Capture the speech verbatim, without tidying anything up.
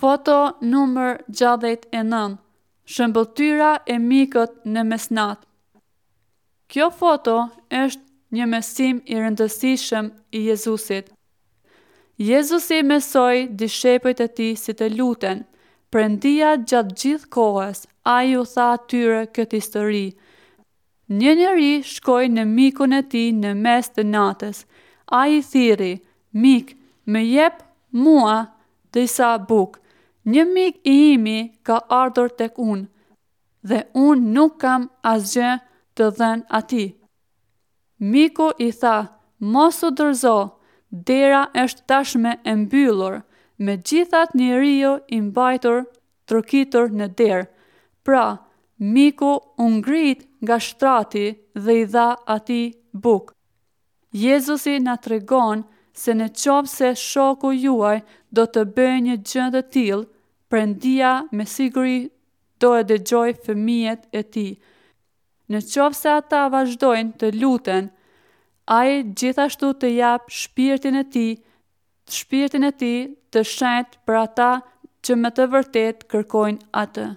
Foto numër gjashtëdhjetë e nëntë, Shëmbëlltyra e mikut në mesnatë. Kjo foto është një mësim i rëndësishëm i Jezusit. Jezusi mësoi dishepujt e tij si të luten. Perëndia gjatë gjithë kohës, ai u tha atyre këtë histori. Një njeri shkoi në mikun e tij në mes të natës. Ai i thirri, Mik, më jep mua disa bukë. Një mik i imi ka ardhur tek unë dhe unë nuk kam asgjë të dhënë atij. Miku i tha, Mos u dorëzo, dera është tashmë e mbyllur. Megjithatë njeriu i mbajtur trokitur në derë. Pra, miku u ngrit nga shtrati dhe i dha atij bukë. Jezusi na tregon se në qoftë se shoku juaj do të bëjë një gjë të tillë, Perëndia me siguri do e dëgjojë fëmijët e tij. Në qoftë se ata vazhdojnë të luten, ai gjithashtu të jap shpirtin e tij, shpirtin e tij të shenjtë për ata që me të vërtetë kërkojnë atë.